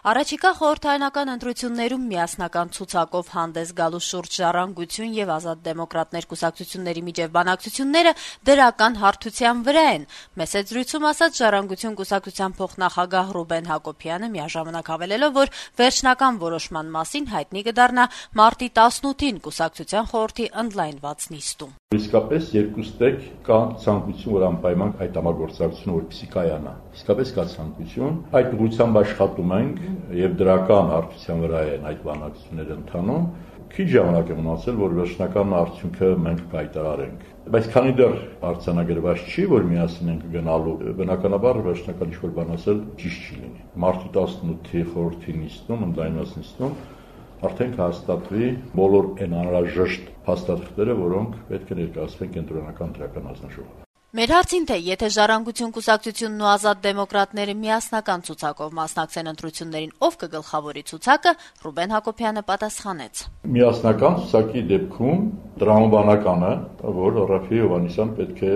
Առաջիկա խորհրդարանական ընտրություններում միասնական ցուցակով հանդես գալու շուրջ ժառանգություն եւ ազատ դեմոկրատներ կուսակցությունների միջև բանակցությունները դրական հարթության վրա են։ Մեծ զրույցում ասաց ժառանգություն կուսակցության փոխնախագահ Ռուբեն Հակոբյանը, միաժամանակ հավելելով, որ վերջնական որոշման մասին հայտնի կդառնա մարտի 18-ին կուսակցության խորհրդի ընդլայնված նիստում։ Իսկապես երկուստեք կա ցանկություն, որ անպայման այդ համագործակցությունը որպեսզի կայանա։ Իսկապես կա ցանկություն, այդ ուղղությամբ աշխատում ենք եւ դրական հարթության վրա են այդ բանակցությունները ընթանում։ Քիչ ժամանակ է մնացել, որ վերջնական արդյունքը մենք կայտարարենք։ Բայց քանի դեռ արձանագրված չի, որ միասին ենք գնալու, բնականաբար վերջնական ինչ-որ բան ասել ճիշտ չի լինի։ Մարտի 18-ի խորհրդի նիստում, ընդլայնված նիստում արդեն կհաստատվի բոլոր այն անհրաժեշտ փաստաթղթերը, որոնք պետք է ներկայացվեն կենտրոնական դրական հանձնաժողովին։ Մեր հարցին, թե եթե ժառանգություն կուսակցությունն ու ազատ դեմոկրատները միասնական ցուցակով մասնակցեն ընտրություններին, ով կգլխավորի ցուցակը, Ռուբեն Հակոբյանը պատասխանեց. Միասնական ցուցակի դեպքում տրամաբանականը, որ Ռաֆի Հովհաննիսյան պետք է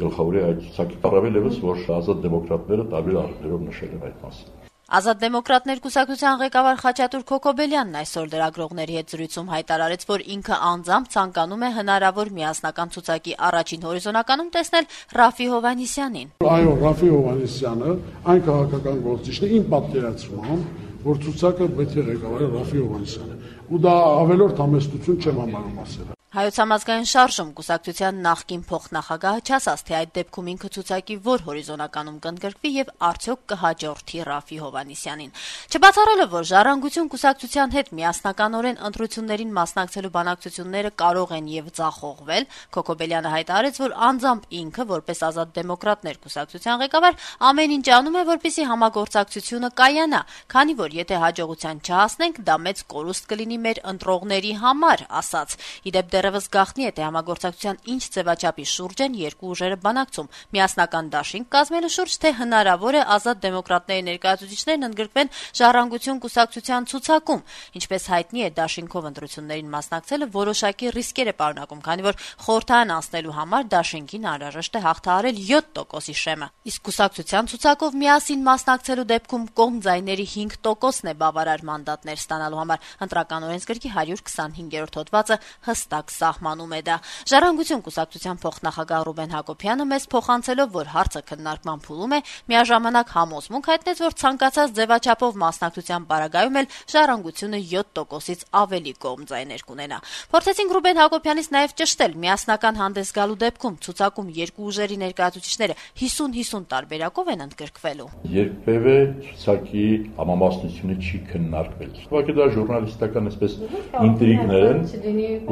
գլխավորի այդ ցուցակի, առավել ևս, որ ազատ դեմոկրատները տարբեր առիթներով նշել են այդ մասին։ Ազատ դեմոկրատներ կուսակցության ղեկավար Խաչատուր Քոքոբելյանն այսօր լրագրողների հետ զրույցում հայտարարեց, որ ինքը անձամբ ցանկանում է հնարավոր միասնական ցուցակի առաջին հորիզոնականում տեսնել Ռաֆի Հովհաննիսյանին։ Այո, Ռաֆի Հովհաննիսյանը այն քաղաքական գործիչն է իմ պատկերացմամբ, որ ցուցակը պետք է ղեկավարի Ռաֆի Հովհաննիսյանը։ Ու դա ավելորդ համեստություն չեմ համարում ասել։ Հայոց համազգային շարժում կուսակցության նախկին փոխնախագահը չասաց, թե այդ դեպքում ինքը ցուցակի որ հորիզոնականում կընդգրկվի եւ արդյոք կհաջորդի Ռաֆի Հովհաննիսյանին։ Չբացառելով, որ ժառանգություն կուսակցության հետ միասնականորեն ընտրություններին մասնակցելու բանակցությունները կարող են եւ ձախողվել, Քոքոբելյանը հայտարարեց, որ անձամբ ինքը, որպես ազատ դեմոկրատներ կուսակցության ղեկավար, ամեն ինչ անում է, որպեսզի համագործակցությունը կայանա, քանի որ եթե հաջողության չհասնենք, դա մեծ կորուստ կլինի մեր ընտրողների համար, ասաց։ Իդեպ դեռևս գաղտնի է, թե համագործակցության ինչ ձևաչափի շուրջ են երկու ուժերը բանակցում, միասնական դաշինք կազմելու շուրջ, թե հնարավոր է ազատ դեմոկրատների ներկայացուցիչներն ընդգրկվեն ժառանգություն կուսակցության ցուցակում։ Ինչպես հայտնի է, դաշինքով ընտրություններին մասնակցելը որոշակի ռիսկեր է պարունակում, քանի որ խորհրդարան անցնելու համար դաշինքին անհրաժեշտ է հաղթահարել 7%-ի շեմը, իսկ կուսակցության ցուցակով միասին մասնակցելու դեպքում կողմ ձայների 5%-ն է բավարար մանդատներ ստանալու համար։ Ընտրական օրենսգրքի 125-րդ հոդվածը հստակ սահմանում է դա։ Ժառանգություն կուսակցության փոխնախագահ Ռուբեն Հակոբյանը մեզ փոխանցելով, որ հարցը քննարկման փուլում է, միաժամանակ համոզմունք հայտնեց, որ ցանկացած ձևաչափով մասնակցության պարագայում էլ ժառանգությունը 7%-ից ավելի կողմ ձայներ կունենա։ Փորձեցինք Ռուբեն Հակոբյանից նաև ճշտել, միասնական հանդես գալու դեպքում ցուցակում երկու ուժերի ներկայացուցիչները 50-50 տարբերակով են ընդգրկվելու։ Երբևէ ցուցակի համամասնությունը չի քննարկվել։ Ուղղակի դա ժուրնալիստական այսպես ինտրիգներ են,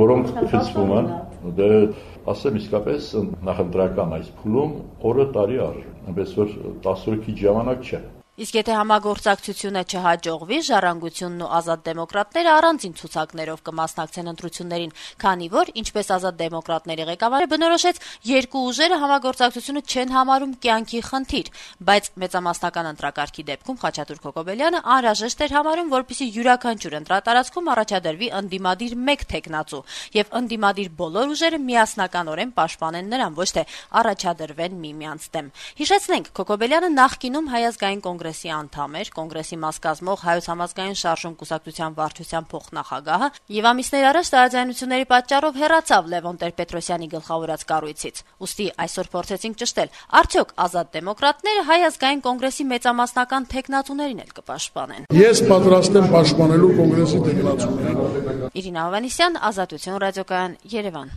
որոնք խցվում են, դե ասեմ իսկապես նախընտրական այս փուլում օրը տարի արժի, այնպես որ 10 օր քիչ ժամանակ չէ։ Իսկ եթե համագործակցությունը չհաջողվի, ժառանգությունն ու ազատ դեմոկրատները առանձին ցուցակներով կմասնակցեն ընտրություններին, քանի որ, ինչպես ազատ դեմոկրատների ղեկավարը բնորոշեց, երկու ուժերը համագործակցությունը չեն համարում կյանքի խնդիր, բայց մեծամասնական ընտրակարգի դեպքում Խաչատուր Քոքոբելյանը անհրաժեշտ էր համարում, որպեսզի յուրաքանչյուր ընտրատարածքում առաջադրվի ընդդիմադիր մեկ թեկնածու եւ ընդդիմադիր բոլոր ուժերը միասնականորեն պաշտպանեն նրան, ոչ թե առաջադրվեն միմյանց դեմ։ Հիշեցնենք, Քոքոբելյանը նախկինում Հայ ազգային կոնգրեսի անդամ էր, կոնգրեսի մաս կազմող Հայոց համազգային շարժում կուսակցության վարչության փոխնախագահը եւ ամիսներ առաջ տարաձայնությունների պատճառով հեռացավ Լևոն Տեր-Պետրոսյանի գլխավորած կառույցից։ Ուստի այսօր փորձեցինք ճշտել, արդյոք ազատ դեմոկրատները Հայ ազգային կոնգրեսի մեծամասնական թեկնածուներին էլ կպաշտպանեն։ Ես պատրաստ եմ պաշտպանելու կոնգրեսի թեկնածուներին։ Իրինա Հովհաննիսյան, Ազատություն ռադիոկայան, Երևան։